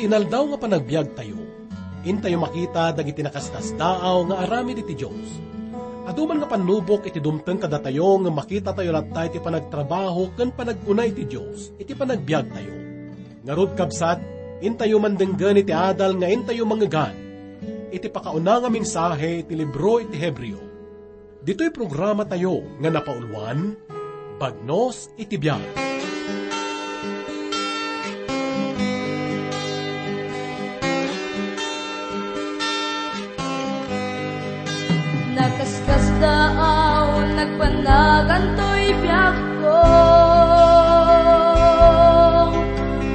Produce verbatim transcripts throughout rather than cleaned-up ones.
Inaldaw nga panagbiagtayo, intayo makita dagiti nakaskasdaaw nga aramid iti Dios. Adu man nga pannubok iti dumteng kadatayo ngem makitatayo latta iti panagtrabaho ken panagkuna iti Dios iti panagbiagtayo. Ngarud, kabsat, intayo man denggen iti adal nga intayo mangngegan iti pakauna nga mensahe iti libro iti Hebreo. Ditoy programatayo nga napauluan, Bagnos iti Biag. Nakaskasdaaw, nagpanagantoy biagko.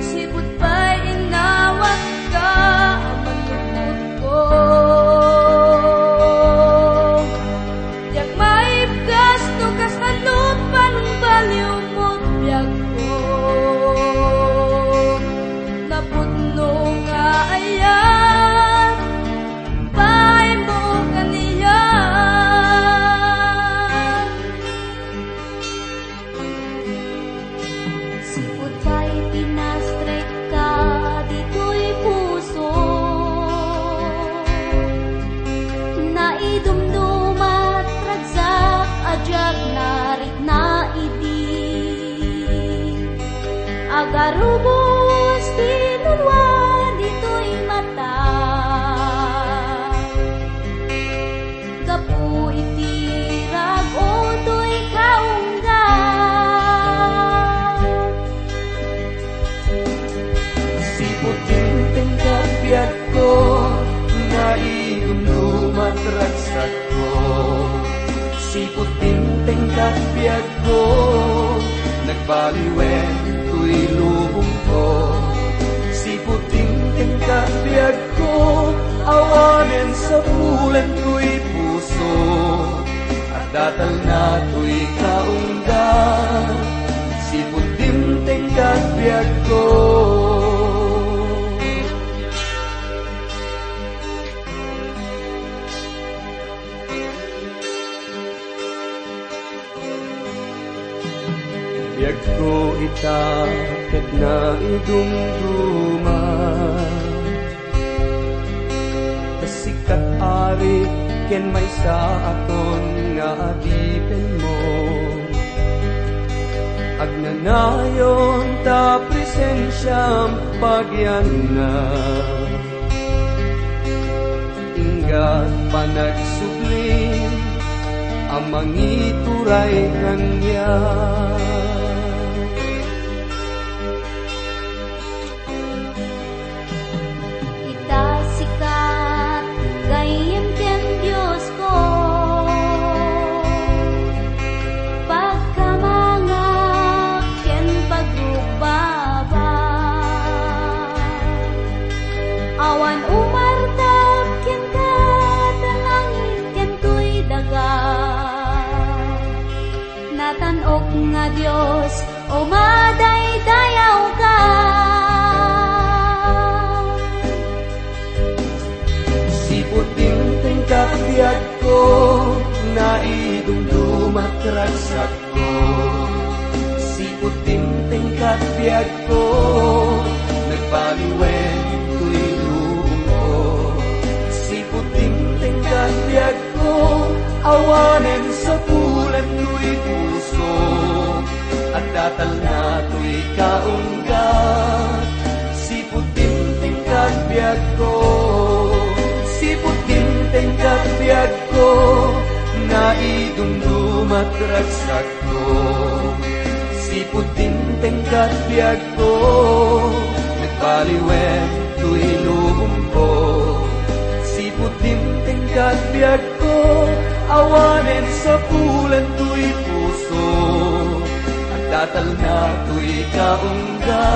Sipud pay innawatka a manlukotko. Diak maibkas no kasano pangbaliwmo biagko. Napudno nga ayat, baaymo kaniak. Sipud pay pinastrek ka ditoy puso, naidumdumat ragsak a diak narikna idi. Agarubos ti nulua ditoy mata. Gapu iti rag-o toy kaungga. Sipud dimteng ket biagko, naidumdumat ragsakko. Sipud dimteng ket biagko, nagbaliwen toy lubongko. Sipud dimteng ket biag ko, awanen sapulen toy puso, adda talna toy kaungga. Sipud dimteng ket biagko. Biagko ita ket naidumduma. Ta sika ti Ari ken maysa a ton nga adipenmo. Agnanayon ta presensiam pagianna. Ingga panagsubli a mangituray kaniak. Ita sika ti gayyem ken Diosko, pagkamangak ken pagrukbabak. Awan umartak kenka ta langit ken toy daga. Natan-ok nga Dios, umadaydayawka. Sipud dimteng ket biagko, naidumdumat ragsakko. Sipud dimteng ket biagko, nagbaliwen toy lubongko. Sipud dimteng ket biagko, awanen sapulen toy puso, adda talna toy kaungga. Sipud dimteng ket biagko, sipud dimteng ket biagko, naidumdumat ragsakko. Sipud dimteng ket biagko, nagbaliwen toy lubongko. Sipud dimteng ket biagko, awanen sapulen toy puso, adda talna toy kaungga.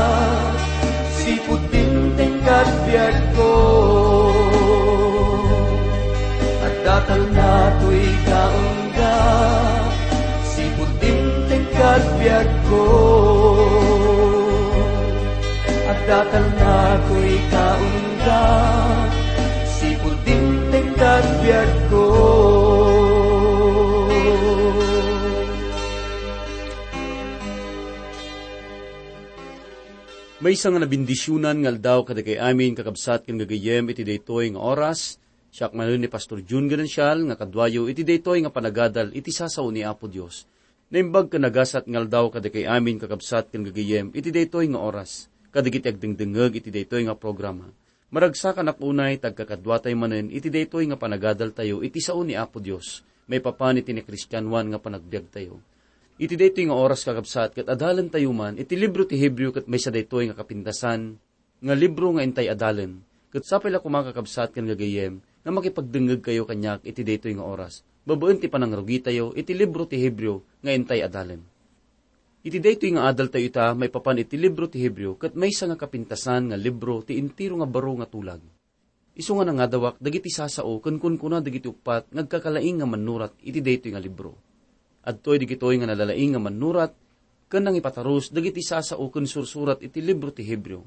Sipud dimteng ket biagko, adda talna toy kaungga. Sipud dimteng ket biagko, adda talna toy kaungga. Sipud dimteng ket biagko, Maysa nga nabendisionan nga aldaw kadagiti amin, kakabsat ken gagayyem, iti daytoy nga oras. Siak manen ni Pastor Jun Ganancial nga kaduayo iti daytoy nga panagadal iti sasao ni Apo Dios. Naimbag ken nagasat nga aldaw kadagiti amin, kakabsat ken gagayyem, iti daytoy nga oras, kadagiti agdengdengngeg iti daytoy nga programa. Maragsakanak unay ti agkakaduatayo manen iti daytoy nga panagadaltayo iti sao ni Apo Dios, maipapan iti nakristianoan nga panagbiagtayo. Iti daytoy nga oras, kakabsat, ket adalentayo man iti libro ti Hebreo, ket maysa daytoy nga kapintasan nga libro nga intay adalen. Ket sapay la koma, kakabsat ken gagayyem, nga makipagdengngegkayo kaniak iti daytoy nga oras, babaen ti panangrugitayo iti libro ti Hebreo nga intay adalen. Iti daytoy nga adaltayo ita, maipapan iti libro ti Hebreo, ket maysa nga kapintasan nga libro ti entero nga baro nga tulag. Isu nga nangadawak dagiti sasao ken kunkuna dagiti uppat nga agkakalaing nga mannurat iti daytoy nga libro. Adtoy dagitoy nga nalalaing nga mannurat ken nangipatarus dagiti sasao ken sursurat iti libro ti Hebreo.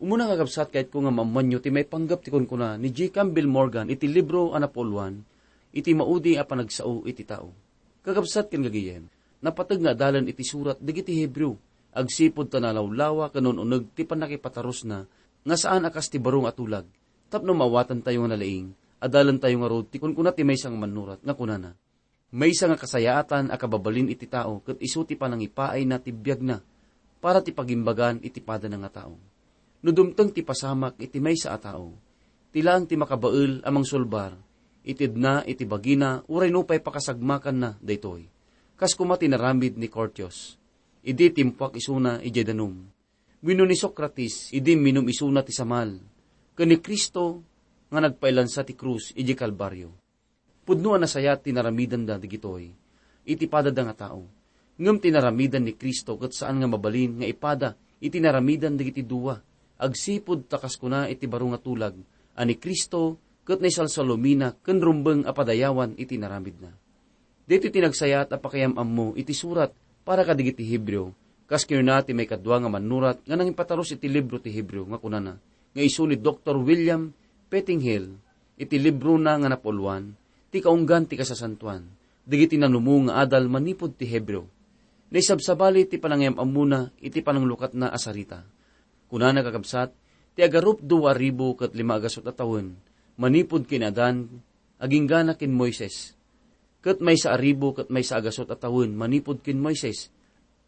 Umuna, kakabsat, kayatko nga maammoanyo ti maipanggep ti kunkuna ni J. Campbell Morgan iti libro a napuuluan, iti maudi a panagsao iti tao. Kakabsat ken gagayyem, napateg nga adalen iti surat dagiti Hebreo, agsipud ta nalawlawa ken un-uneg ti pannakipatarusna nga saan a kas ti baro nga tulag, tapno maawatantayo nga nalaing, adalentayo ngarud ti kunkuna ti maysa nga mannurat nga kunana, maysa nga kasayaatan a kababalin iti tao ket isu ti panangipaayna ti biagna para ti pagimbagan iti padana nga tao. No dumteng ti pasamak iti maysa a tao, ti laeng ti makabael a mangsulbar, itedna iti bagina uray nupay pakasagmakanna daytoy. Kas koma ti naramid ni Curtius, idi timpuak isuna idiay danum. Wenno ni Socrates, idi minum isuna ti samal. Ken ni Cristo nga nagpailansa ti krus idiay Kalbario. Pudno a nasayaat ti naramidanda dagitoy iti padada nga tao. Ngem ti naramidan ni Cristo ket saan nga mabalin nga ipada iti naramidan dagiti dua, agsipud ta kas kuna iti baro nga tulag a ni Cristo ket naisalsalumina ken rumbeng a padayawan iti naramidna. Daytoy ti nagsayaat a pakayam-ammo iti surat para kadagiti Hebreo, kas kinuna ti maikadua nga mannurat nga nangipatarus iti libro ti Hebreo nga kunana, nga isu ni Doktor William Pettinggill, iti librona nga napuuluan, ti Kaunggan ti Kasasantoan, dagiti nanumo nga adal manipud ti Hebreo. Naisabsabali ti panangayam-ammona iti pananglukatna a sarita. Kunana, kakabsat, ti agarup dua a ribu ket lima a gasut a tawen, manipud ken Adan, aginggana ken Moises. Ket maysa a ribu ket maysa a gasut a tawen manipud ken Moises,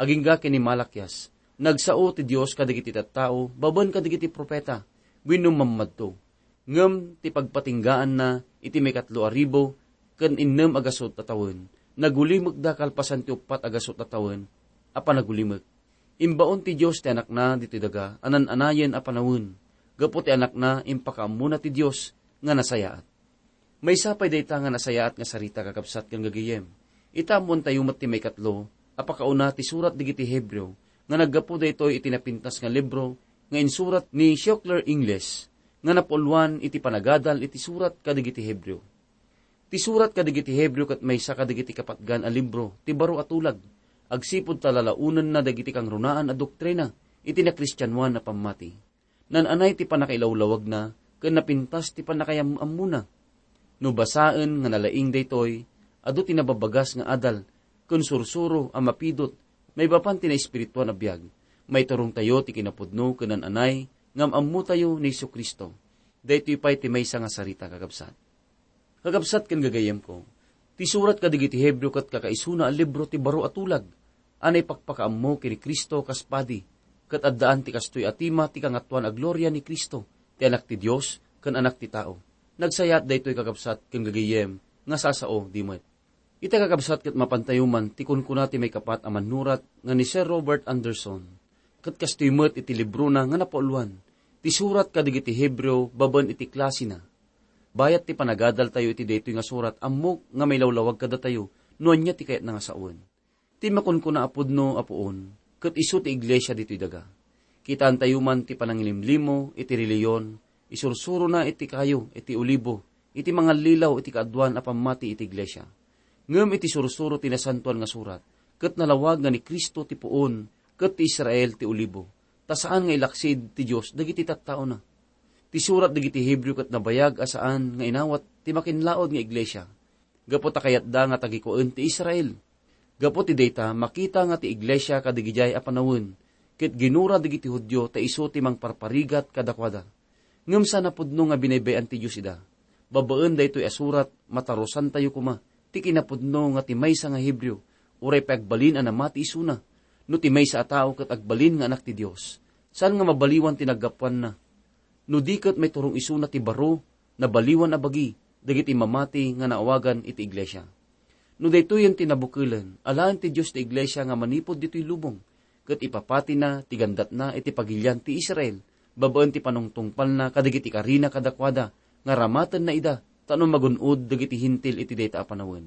agingga ken ni Malakias. Nagsao ti Dios kadagiti tattao babaen kadagiti profeta wenno mammadto. Ngem ti pagpatinggaanna iti maikatlo a ribu ken innem a gasut a tawen, nagulimekda kalpasan ti uppat a gasut a tawen a panagulimek. Imbaon ti Dios ti Anakna ditoy daga a nan-anayen a panawen. Gapu ti Anakna, impakaammona ti Dios nga nasayaat. Maysa pay dayta nga nasayaat nga sarita, kakabsat ken gagayyem. Ita ammoentayo met ti maikatlo a pakauna ti surat dagiti Hebreo nga naggapu daytoy iti napintas nga libro nga insurat ni Schuyler Inglis nga napuuluan iti panagadal iti surat kadagiti Hebreo. Ti surat kadagiti Hebreo ket maysa kadagiti kapatgan a libro ti baro a tulag, agsipud ta lalaonenna dagiti kangrunaan a doktrina iti nakristianoan a pammati. Nan-anay ti pannakailawlawagna ken napintas ti pannakayam-ammona. No basaen nga nalaing daytoy, adu ti nababagas nga adal ken sursuro a mapidut maipapan ti naespirituan a biag. Maiturongtayo ti kinapudno ken nan-anay nga am-ammotayo ni Jesu-Cristo. Daytoy pay ti maysa nga sarita, kakabsat. Kakabsat ken gagayyemko, ti surat kadagiti Hebreo ket kakaisuna a libro ti baro a tulag a naipakpakaammo ken ni Cristo kas padi, ket addaan ti kastoy a tema ti Kangatoan a Gloria ni Cristo, ti Anak ti Dios ken Anak ti Tao. Nagsayaat daytoy, kakabsat ken gagayyem, nga sasao di met. Ita, kakabsat, ket mapantayo man ti kunkuna ti maikapat a mannurat nga ni Sir Robert Anderson, ket kastoy met iti librona nga napuuluan, ti surat kadagiti Hebreo babaen iti klasina. Bayat ti panagadaltayo iti daytoy nga surat, ammok nga mailawlawag kadatayo no ania ti kayatna nga sawen. Ti makunkuna a pudno a puon, ket isu ti iglesia ditoy daga. Kitaentayo man ti panangilimlimo iti relihiyon, isursurona iti kayo iti olibo, iti mangallilaw iti kaaduan a pammati iti iglesia. Ngem iti sursuro ti Nasantoan nga Surat, ket nalawag nga ni Cristo ti puon, ket ti Israel ti olibo, ta saan nga ilaksid ti Dios dagiti tattaona. Ti surat dagiti Hebreo ket nabayag a saan nga inawat ti makinlaod nga iglesia, gapu ta kayatda nga tagikuaen ti Israel. Gapu ti dayta, makita nga ti iglesia kadagidiay a panawen, ket ginura dagiti Judio ta isu ti mangparparigat kadakuada. Ngem saan a pudno nga binaybay-an ti Dios ida. Babaen daytoy a surat, matarusantayo koma ti kinapudno nga ti maysa nga Hebreo, uray pay agbalin a namati isuna, no ti maysa a tao ket agbalin nga anak ti Dios, saan nga mabaliwan ti naggapuanna. No di ket maiturong isuna ti baro, nabaliwan a bagi dagiti mamati nga naawagan iti iglesia. No daytoyen ti nabukelen, alaen ti Dios ti iglesia nga manipud ditoy lubong, ket ipapatina ti gandatna iti pagilian ti Israel, babaen ti panungtungpalna kadagiti karina kadakuada nga ramatenna ida, tapno magun-od dagiti Hentil iti dayta a panawen.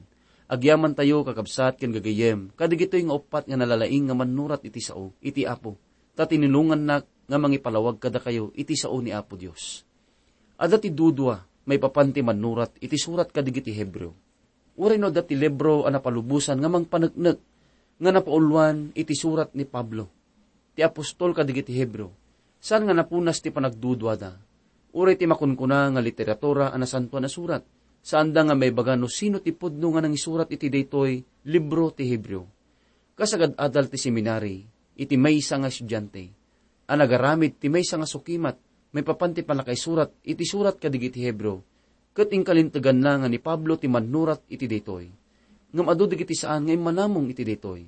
Agyamantayo, kakabsat ken gagayyem, kadagitoy nga uppat nga nalalaing nga mannurat iti sao iti Apo, ta tinulongannak nga mangipalawag kadakayo iti sao ni Apo Dios. Adda ti dudua maipapan ti mannurat iti surat kadagiti Hebreo. Uray no adda ti libro a napalubosan nga mangpaneknek nga napauluan iti surat ni Pablo, ti apostol kadagiti Hebreo, saan nga napunas ti panagduduada. Uray ti makunkuna nga literatura a nasantoan a surat, saanda nga maibaga no sino ti pudno nga nangisurat iti daytoy libro ti Hebreo. Kas agad-adal ti seminari, iti maysa nga estudiante a nagaramid ti maysa nga sukimat maipapan ti pannakaisurat iti surat kadagiti Hebreo, ket inkalinteganna nga ni Pablo ti mannurat iti daytoy. Ngem adu dagiti saan nga immanamong iti daytoy.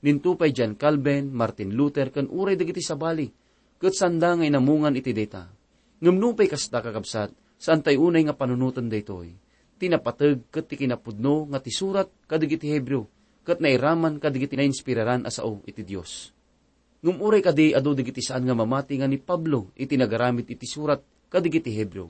Ninto pay John Calvin, Martin Luther, ken uray dagiti sabali, ket saanda nga inamungan iti dayta. Ngem nupay kasta, kakabsat, saantayo unay nga panunoten daytoy. Ti napateg ket ti kinapudno nga ti surat kadagiti Hebreo ket nairaman kadagiti nainspiraran a sao iti Dios. Ngem uray kadi adu dagiti saan nga mamati nga ni Pablo iti nagaramid iti surat kadagiti Hebreo,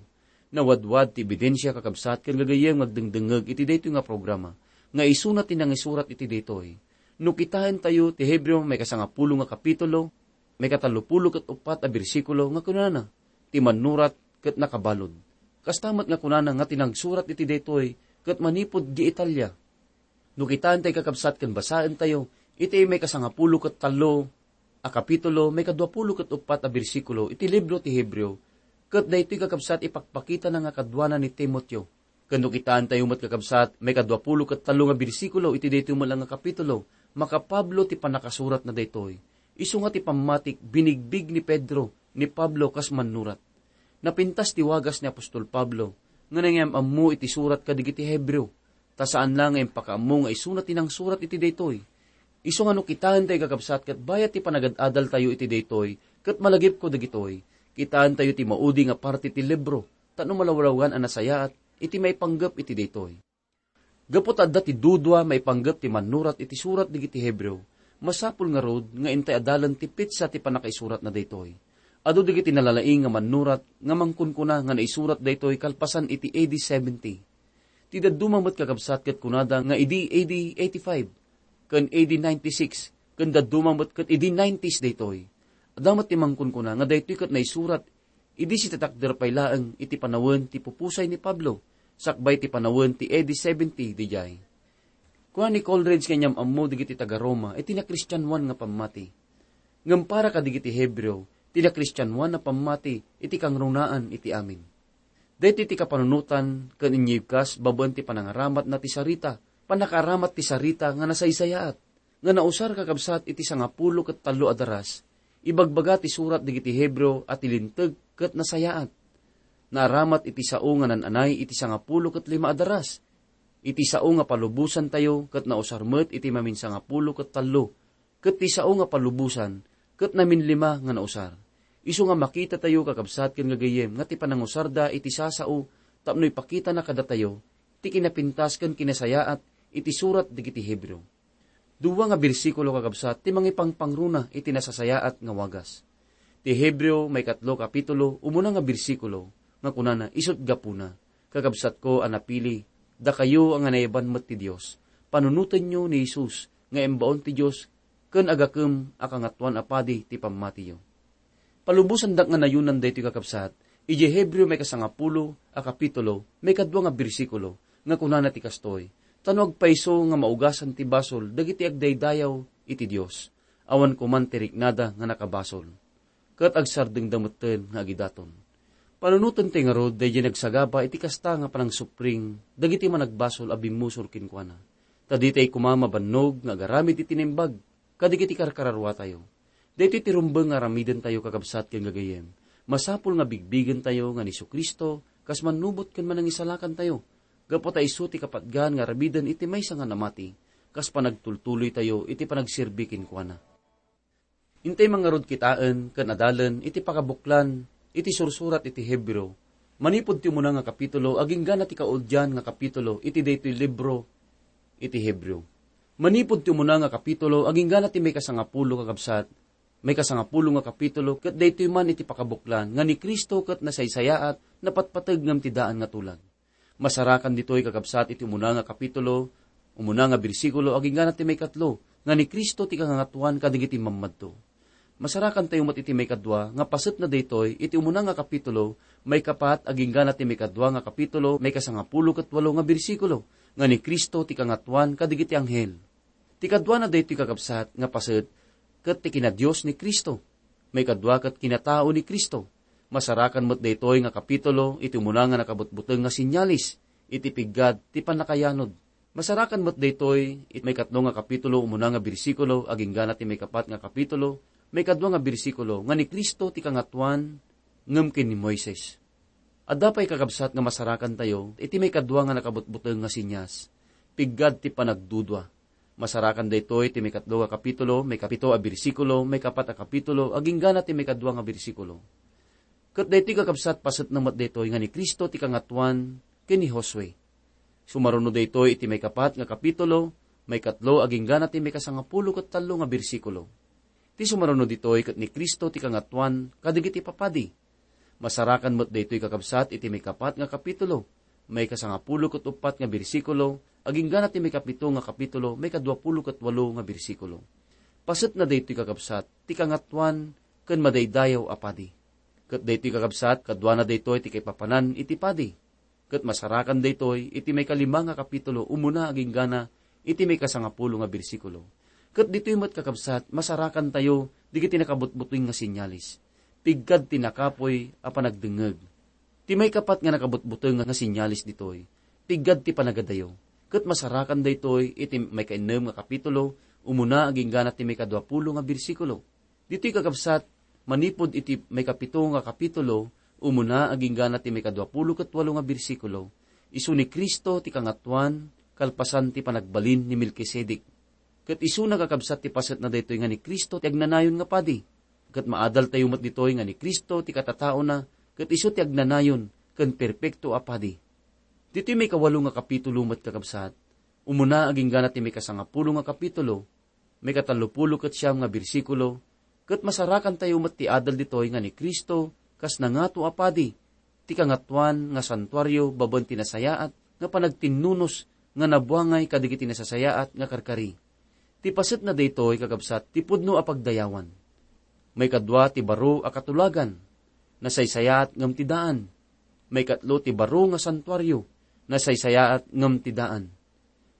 nawadwad ti ebidensia, kakabsat ken gagayyem nga agdengdengngeg iti daytoy nga programa, nga isuna ti nangisurat iti daytoy. No kitaentayo ti Hebreo maikasangapulo nga kapitulo, maikatallopulo ket uppat a bersikulo nga kunana, "Ti mannurat ket nakabalud." Kasta met nga kunana nga ti nagsurat iti daytoy ket manipud di Italia. No kitaentayo, kakabsat, ken basaentayo iti maikasangapulo ket tallo a kapitulo, maikaduapulo ket uppat a bersikulo iti libro ti Hebreo, ket daytoy, kakabsat, ipakpakitana nga kaduana ni Timoteo. Ken no kitaentayo met, kakabsat, maikaduapulo ket tallo nga bersikulo iti daytoy met la nga kapitulo, maka-Pablo ti pannakasuratna daytoy. Isu nga ti pammatik binigbig ni Pedro, ni Pablo kas mannurat. Napintas ti wagas ni apostol Pablo nga nangiyam-ammo iti surat kadagiti Hebreo, ta saanna nga impakaammo nga isuna ti nangsurat iti daytoy. Isu nga no kitaentayo, kakabsat, ket bayat ti panagad-adaltayo iti daytoy, ket malagipko dagitoy, kitaentayo ti maudi nga parte ti libro, tapno malawlawgan a nasayaat iti maipanggep iti daytoy. Gapu ta adda ti dudua maipanggep ti mannurat iti surat dagiti Hebreo, masapul ngarud nga intay adalen ti petsa ti pannakaisuratna daytoy. Adu dagiti nalalaing nga mannurat nga mangkunkuna nga naisurat daytoy kalpasan iti A D seventy. Ti dadduma met, kakabsat, ket kunada nga idi A D eighty-five ken A D ninety-six, ken dadduma met ket idi nineties daytoy. Adda met ti mangkunkuna nga daytoy ket naisurat idi sitatakder pay laeng iti panawen ti pupusay ni Pablo, sakbay ti panawen ti A D seventy didiay. Kuna ni Coleridge nga inyam-ammo dagiti taga-Roma iti nakristianoan nga pammati. Ngem para kadagiti Hebreo, ti nakristianoan a pammati iti kangrunaan iti amin. Daytoy ti kapanunotan ken inyibkas babaen ti panangaramatna ti sarita, pannakaaramat ti sarita nga nasaysayaat, nga nausar, kakabsat, iti sangapulo ket tallo a daras. Ibagbaga ti surat dagiti Hebreo a ti linteg ket nasayaat. Naaramat iti sao nga nan-anay iti sangapulo ket lima a daras. Iti sao nga palubosantayo ket nausar met iti maminsangapulo ket tallo, ket ti sao nga palubosan ket naminlima nga nausar. Isu nga makitatayo, kakabsat ken gagayyem, nga ti panangusarda iti sasao tapno ipakitana kadatayo ti kinapintas ken kinasayaat iti surat dagiti Hebreo. Dua nga bersikulo, kakabsat, ti mangipangpangruna iti nasasayaat nga wagas. Ti Hebreo maikatlo kapitulo, umuna nga bersikulo, nga kunana, "Isut' gapuna, kakabsatko a napili, dakayo a nga nayaban met ti Dios, panunotenyo ni Jesus nga imbaon ti Dios ken agakem a Kangatoan a Padi ti pammatiyo." Palubosandak nga nayonan daytoy, kakabsat, idiay Hebreo maikasangapulo a kapitulo, maikadua nga bersikulo, nga kunana ti kastoy, "Ta no agpayso nga maugasan ti basol dagiti agdaydayaw iti Dios, awan koman ti riknada nga nakabasol, ket agsardengda metten nga agidaton." Panunoten ti ngarud daydiay nagsagaba iti kasta nga panangsupring dagiti managbasol a bimmusor kenkuana, ta ditay koma mabannog nga agaramid iti naimbag kadagiti karkararuatayo. Daytoy ti rumbeng nga aramidentayo, kakabsat ken gagayyem. Masapul nga bigbigentayo nga ni Jesu-Cristo kas mannubot ken manangisalakantayo, gapu ta isu ti kapatgan nga aramiden iti maysa nga namati, kas panagtultuloytayo iti panagserbi kenkuana. Intay mangarud kitaen ken adalen iti pakabuklan iti sursurat iti Hebreo, manipud ti umuna nga kapitulo agingga na ti kauddian nga kapitulo iti daytoy libro iti Hebreo. Manipud ti umuna nga kapitulo agingga na ti maikasangapulo, kakabsat, maikasangapulo nga kapitulo, ket daytoy man iti pakabuklan nga ni Cristo ket nasaysayaat, napatpateg ngem ti daan nga tulag. Masarakan ditoy, kakabsat, iti umuna nga kapitulo, umuna nga bersikulo, agingga na ti maikatlo, nga ni Cristo ti kangangatuan kadagiti mammadto. Masarakantayo met iti maikadua nga paset na daytoy iti umuna nga kapitulo, maikapat, agingga na ti maikadua nga kapitulo, maikasangapulo ket walo nga bersikulo, nga ni Cristo ti kangatuan kadagiti anghel. Ti kaduana daytoy, kakabsat, nga paset ket ti kinadios ni Cristo. Maikadua ket kinatao ni Cristo. Masarakan met daytoy nga kapitulo iti umuna nga nakabutbuteng nga sinyalis iti piggad ti pannakayanod. Masarakan met daytoy iti maikatlo nga kapitulo, umuna nga bersikulo, agingga na ti maikapat nga kapitulo, maikadua nga bersikulo, nga ni Cristo ti kangatuan ngem ken ni Moises. Adda pay, kakabsat, nga masarakantayo iti maikadua nga nakabutbuteng nga sinyas, piggad ti panagdudua. Masarakan daytoy ti maikatlo nga kapitulo, maikapito a bersikulo, maikapat a kapitulo, agingga na ti maikadua nga bersikulo. Ket daytoy, kakabsat, paset na met daytoy nga ni Cristo ti kangatuan ken ni Josue. Sumaruno daytoy iti maikapat nga kapitulo, maikatlo agingga na ti maikasangapulo ket tallo nga bersikulo. Ti sumaruno ditoy ket ni Cristo ti kangatuan kadagiti papadi. Masarakan met daytoy, kakabsat, iti maikapat nga kapitulo, maikasangapulo ket uppat nga bersikulo, agingga na ti maikapito nga kapitulo, maikaduapulo ket walo nga bersikulo. Paset na daytoy, kakabsat, ti kangatuan ken madaydayaw a padi. Ket daytoy, kakabsat, kaduana daytoy ti kaipapanan iti padi. Ket masarakan daytoy iti maikalima nga kapitulo, umuna agingga na iti maikasangapulo nga bersikulo. Ket ditoy met, kakabsat, masarakantayo dagiti nakabutbuteng nga sinyalis. Piggad ti nakapuy a panagdengngeg. Ti maikapat nga nakabutbuteng nga sinyalis ditoy, piggad ti panagadayo. Ket masarakan daytoy iti maikainnem nga kapitulo, umuna agingga na ti maikaduapulo nga bersikulo. Ditoy, kakabsat, manipud iti maikapito nga kapitulo, umuna agingga na ti maikaduapulo ket walo nga bersikulo, isu ni Cristo ti kangatuan kalpasan ti panagbalin ni Melkisedek. Ket isuna, kakabsat, ti paset na daytoy nga ni Cristo ti agnanayon nga padi. Ket maadaltayo met ditoy nga ni Cristo ti katataona, ket isu ti agnanayon ken perpekto a padi. Ditoy maikawalo nga kapitulo met, kakabsat, umuna agingga na ti maikasangapulo nga kapitulo, maikatallopulo ket siam nga bersikulo, ket masarakantayo met ti adal ditoy nga ni Cristo kas nangato a padi, ti kangatuan nga santuario babaen ti nasayaat nga panagtinnunos nga nabuangay kadagiti nasasayaat nga karkari. Ti paset na daytoy, kakabsat, ti pudno a pagdayawan. Maikadua ti baro a katulagan, nasaysayaat ngem ti daan. Maikatlo ti baro nga santuario, nasaysayaat ngem ti daan.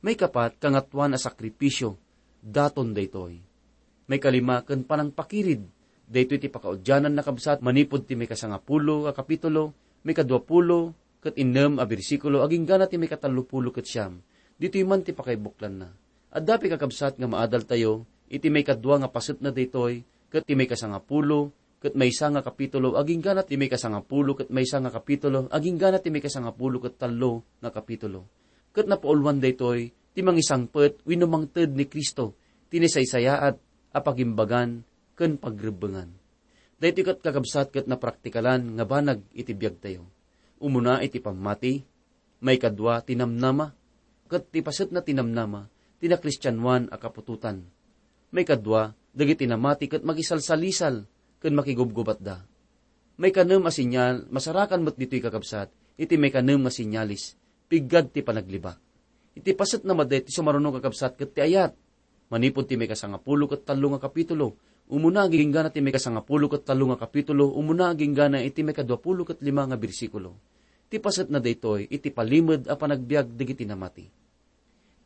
Maikapat, kangatuan a sakripisio, daton daytoy. Maikalima ken panangpakirid, daytoy ti pakaudiananna, kabsat, manipud ti maikasangapulo a kapitulo, maikaduapulo ket innem a bersikulo agingga na ti maikatallopulo ket siam. Ditoy man ti pakaibuklanna. Adda pay, kakabsat, nga maadaltayo iti maikadua nga paset na daytoy ket ti maikasangapulo ket maysa nga kapitulo agingga na ti maikasangapulo ket maysa nga kapitulo agingga na ti maikasangapulo ket tallo nga kapitulo. Ket napauluan daytoy ti mangisangpet wenno mangted ni Cristo ti nasaysayaat a pagimbagan ken pagrebbengan. Daytoy ket, kakabsat, ket napraktikalan nga banag iti biagtayo. Umuna iti pammati, maikadua ti namnama, ket ti pasetna ti namnama ti nakristianoan a kaputotan. Maikadua, dagiti namati ket makisalsalisal ken makigubgubatda. Maikanem a sinyal, masarakan met ditoy, kakabsat, iti maikanem nga sinyalis, piggad ti panaglibak. Iti pasetna met daytoy sumaruno, kakabsat, ket ti ayat. Manipud ti maikasangapulo ket tallo nga kapitulo, umuna agingga na ti maikasangapulo ket tallo nga kapitulo, umuna agingga na iti maikaduapulo ket lima nga bersikulo. Ti pasetna daytoy iti palimed a panagbiag dagiti namati.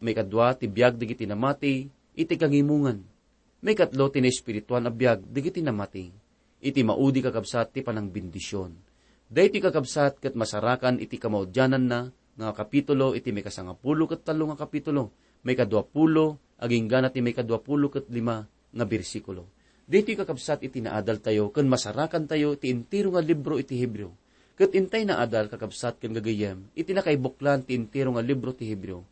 Maikadua ti biag dagiti namati iti kangimongan. Maikatlo ti naespirituan a biag dagiti namati. Iti maudi, kakabsat, ti panangbendision. Daytoy, kakabsat, ket masarakan iti kamaudiananna nga kapitulo iti maikasangapulo ket tallo nga kapitulo, maikaduapulo, agingga na ti maikaduapulo ket lima nga bersikulo. Ditoy, kakabsat, iti naadaltayo ken masarakantayo ti entero nga libro iti Hebreo. Ket intay naadal, kakabsat ken gagayyem, iti nakaibuklan ti entero nga libro ti Hebreo,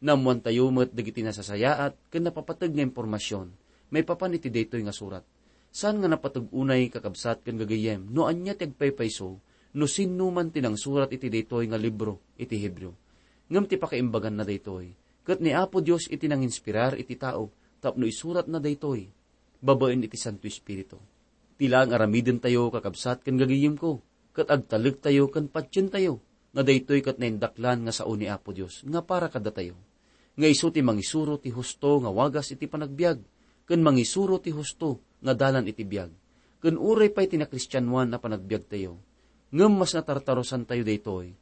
naammoantayo met dagiti nasasayaat ken napapateg nga impormasion maipapan iti daytoy nga surat. Saan nga napateg unay, kakabsat ken gagayyem, no ania ti agpaypayso no sinno man ti nangsurat iti daytoy nga libro iti Hebreo. Ngem ti pakaimbaganna daytoy, ket ni Apo Dios iti nanginspirar iti tao tapno isuratna daytoy babaen iti Santo Espiritu. Ti laeng aramidentayo, kakabsat ken gagayyemko, ket agtalektayo ken patientayo nga daytoy ket naindaklan nga sao ni Apo Dios nga para kadatayo, nga isu ti mangisuro ti husto nga wagas iti panagbiag, ken mangisuro ti husto nga dalan iti biag, ken uray pay ti nakristianoan a panagbiagtayo. Ngem mas natartarusantayo daytoy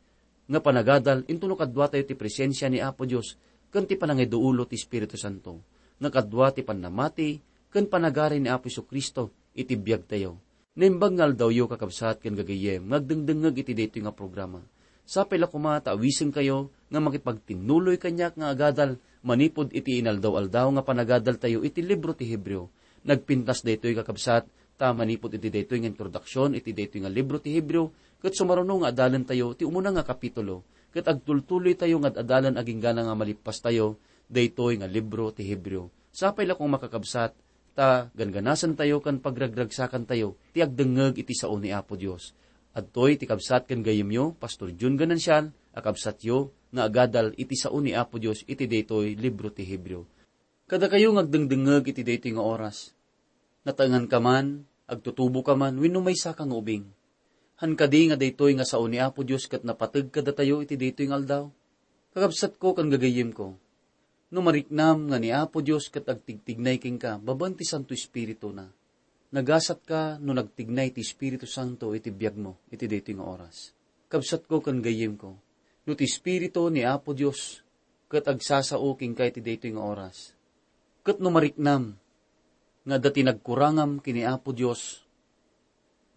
nga panagadal intono kaduatayo ti presensia ni Apo Dios ken ti panangiduulo ti Espiritu Santo, nga kadua ti pannamati ken panagari ni Apo Jesu-Cristo iti biagtayo. Naimbag nga aldawyo, kakabsat ken gagayyem, nga agdengdengngeg iti daytoy nga programa. Sapay la koma ta awisenkayo nga makipagtinnuloy kaniak nga agadal manipud iti inaldaw-aldaw nga panagadaltayo iti libro ti Hebreo. Nagpintas daytoy, kakabsat, ta manipud iti daytoy nga introduksion iti daytoy nga libro ti Hebreo, ket sumaruno nga adalentayo ti umuna nga kapitulo, ket agtultuloytayo nga ad-adalan agingga nga malippastayo daytoy nga libro ti Hebreo. Sapay la koma, kakabsat, ta gangganasentayo ken pagragragsakantayo ti agdengngeg iti sao ni Apo Dios. Adtoy ti kabsat ken gayyemyo, Pastor Jun Ganancial, a kabsatyo nga agadal iti sao ni Apo Dios iti daytoy libro ti Hebreo. Kadakayo nga agdengdengngeg iti daytoy nga oras, nataenganka man, agtutuboka man, wenno maysaka nga ubing, han kadi nga daytoy nga sao ni Apo Dios ket napateg kadatayo iti daytoy nga aldaw? Kakabsatko ken gagayyemko, no mariknam nga ni Apo Dios ket agtigtignay kenka babaen ti Santo Espirituna, nagasatka no nagtignay ti Espiritu Santo iti biagmo iti daytoy nga oras. Kabsatko ken gayyemko, no ti Espiritu ni Apo Dios ket agsasao kenka iti daytoy nga oras, ket no mariknam nga adda ti nagkurangam ken ni Apo Dios,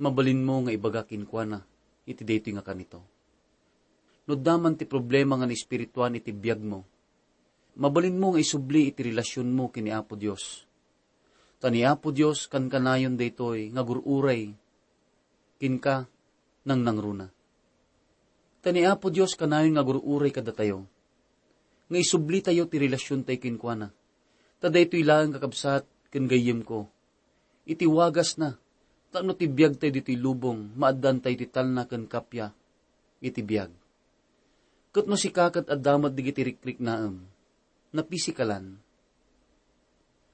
mabalinmo nga ibaga kenkuana iti daytoy nga kanito. No adda man ti problema nga naespirituan iti biagmo, mabalinmo nga isubli iti relasionmo ken ni Apo Dios. Ta ni Apo Dios kankanayon daytoy nga agur-uray kenka nangnangruna. Ta ni Apo Dios kanayon nga agur-uray kadatayo, nga isublitayo ti relasiontayo kenkuana. Ta daytoy laeng, kakabsat ken gayyemko, iti wagasna, tapno ti biagtayo ditoy lubong, maaddaantayo ti talna ken kappia iti biag. Ket no sika ket adda met dagiti rikriknaem, napisikalan,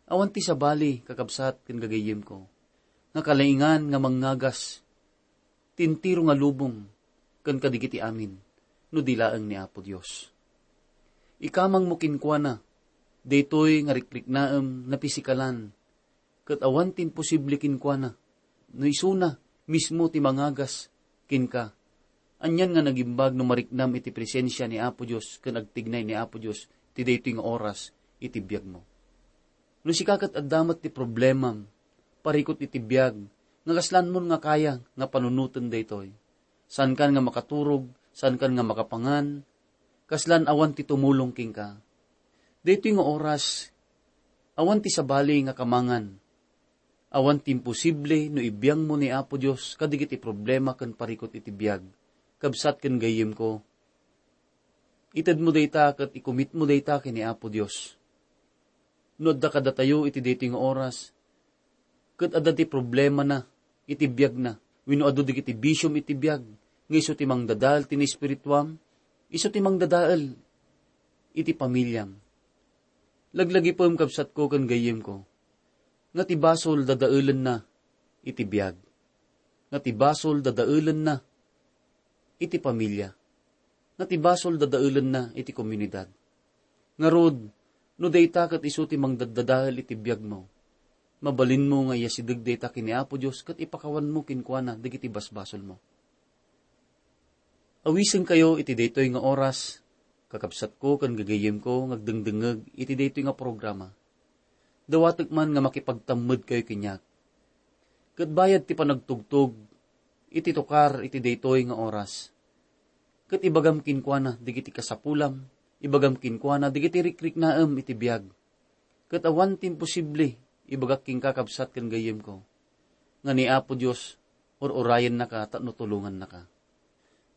awan ti sabali, kakabsat ken gagayyemko, nga kalaingan nga mangngagas ti entero nga lubong ken kadagiti amin, no di laeng ni Apo Dios. Ikamangmo kenkuana daytoy nga rikriknaem, napisikalan, ket awan ti imposible kenkuana, no isuna mismo ti mangagas kenka. Anian nga nagimbag no mariknam iti presensia ni Apo Dios ken agtignay ni Apo Dios ti daytoy nga oras iti biagmo. No sika ket adda met ti problemam, parikut iti biag, nga kaslanmon nga kaya nga panunoten daytoy. Saankan nga makaturog, saankan nga makapangan, kaslan awan ti tumulong kenka. Daytoy nga oras, awan ti sabali nga kamangan. Awan ti imposible no ibiangmo ni Apo Dios kadagiti problema ken parikut iti biag, kabsat ken gayyemko. Itedmo dayta ket ikumitmo dayta ken ni Apo Dios. No adda kadatayo iti daytoy nga oras, ket adda ti problemana iti biagna, wenno adu dagiti bisiom iti biag, nga isu ti mangdadael ti naespirituam, isu ti mangdadael iti pamiliam. Laglagipem, kabsatko ken gayyemko, nga ti basol dadaelenna iti biag, nga ti basol dadaelenna iti pamilia, nga ti basol dadaelenna iti komunidad. Ngarud, no dayta ket isu ti mangdaddadael iti biagmo, mabalinmo nga iyasideg dayta ken ni Apo Dios ket ipakawanmo kenkuana dagiti basbasolmo. Awisenkayo iti daytoy nga oras, kakabsatko ken gagayyemko nga agdengdengngeg iti daytoy nga programa. Dawatek man nga makipagtammedkayo kaniak. Ket bayad ti panagtugtog iti tukar iti daytoy nga oras, ket ibagam kenkuana dagiti kasapulam, ibagam kenkuana dagiti rikriknaem iti biag. Ket awan ti imposible ibagak kenka, kabsat ken gayyemko, nga ni Apo Dios ur-urayennaka tapno tulongannaka.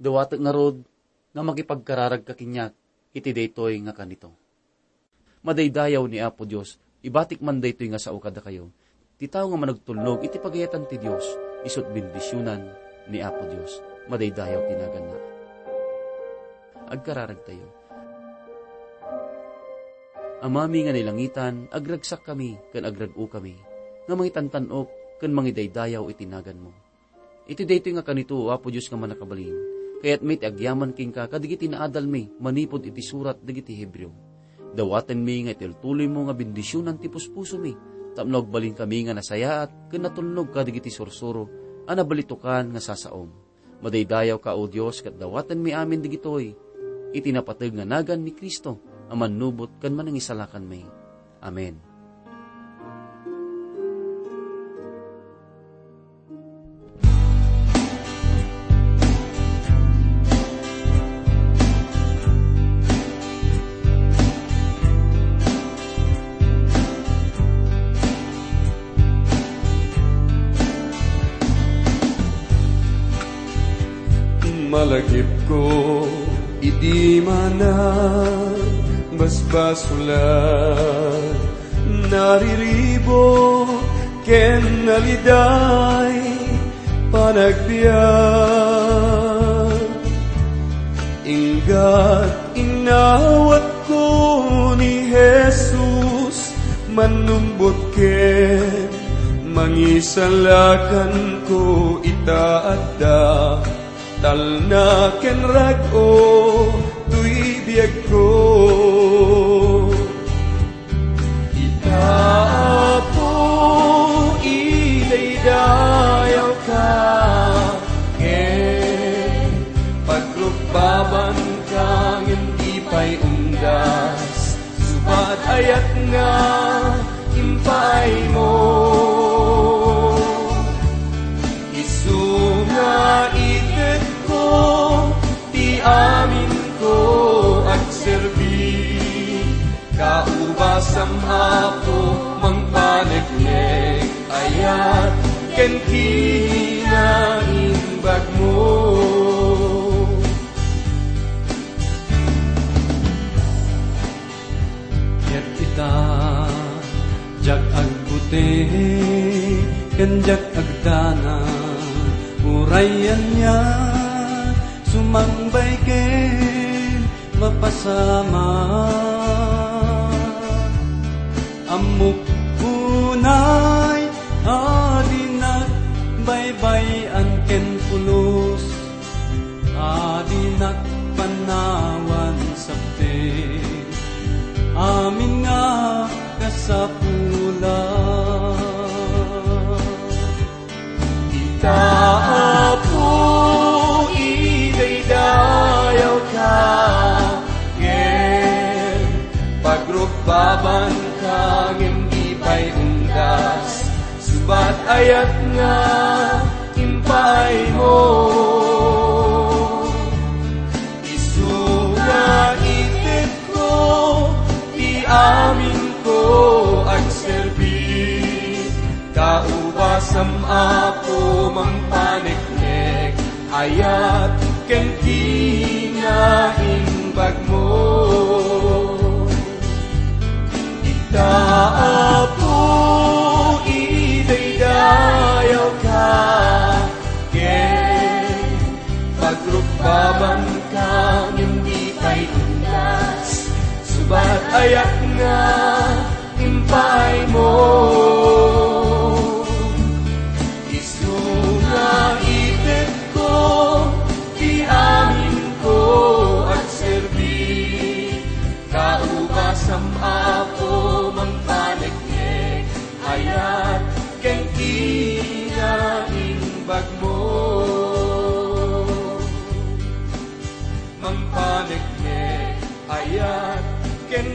Dawatek ngarud nga makipagkararagka kaniak iti daytoy nga kanito. Madaydayaw ni Apo Dios, ibatik man daytoy nga sao kadakayo. Ti tao nga managtulnog iti pagayatan ti Dios, isu't bendisionan ni Apo Dios. Madaydayaw ti naganna. Agkararagtayo. Amami nga nailangitan, agragsakkami ken agrag-okami, nga mangitantan-ok ken mangidaydayaw iti naganmo. Iti daytoy nga kanito, Apo Dios nga Mannakabalin, kayatmi ti agyaman kenka kadagiti naadalmi manipud iti surat dagiti Hebreo. Dawatenmi nga itultuloymo nga bendisionan ti puspusomi, tapno agbalinkami nga nasayaat ken natulnog kadagiti sursuro a nabalitokan nga sasaom. Madaydayawka, O Dios, ket dawatenmi amin dagitoy iti napateg nga nagan ni Cristo a Mannubot ken Manangisalakanmi. Amen. Malagipko idi manang basbasolan, nariribuk ken naliday panagbiag. Inggat inawatko ni Jesus, Mannubot ken Mangisalakanko ita adda, talna ken rag-o toy biagko. Ita, Apo, idaydayawka, ken pagrukbabanka ngem di pay undas, subat ayat nga impaaymo. Isu nga itekko ti aminko agserbi. Kaubasam, Apo, mangpaneknek, ayat ken kinaimbagmo. Ket ita, diak agbuti ken diak agdanag, uray ania, sumangbay ken mapasamak. Ammok unay a dinak baybay-an ken pulos, a dinak panawan sabte amin nga kasapulan. Ita, Apo, idaydayawka, ngem pagrukbabanka, ngem di pay undas, subat ayat nga impaaymo. Isu nga itekko ti aminko agserbi. Kaubasam, Apo, mangpaneknek, ayat ken kinaimbagmo. Ita, Apo, idaydayawka, ken pagrukbabanka, ngem di pay undas, subat ayat nga impaaymo. Isu nga itekko ti aminko agserbi. Kaubasam, Apo, mangpaneknek, ayat ken kinaimbagmo. Mangpaneknek, ayat ken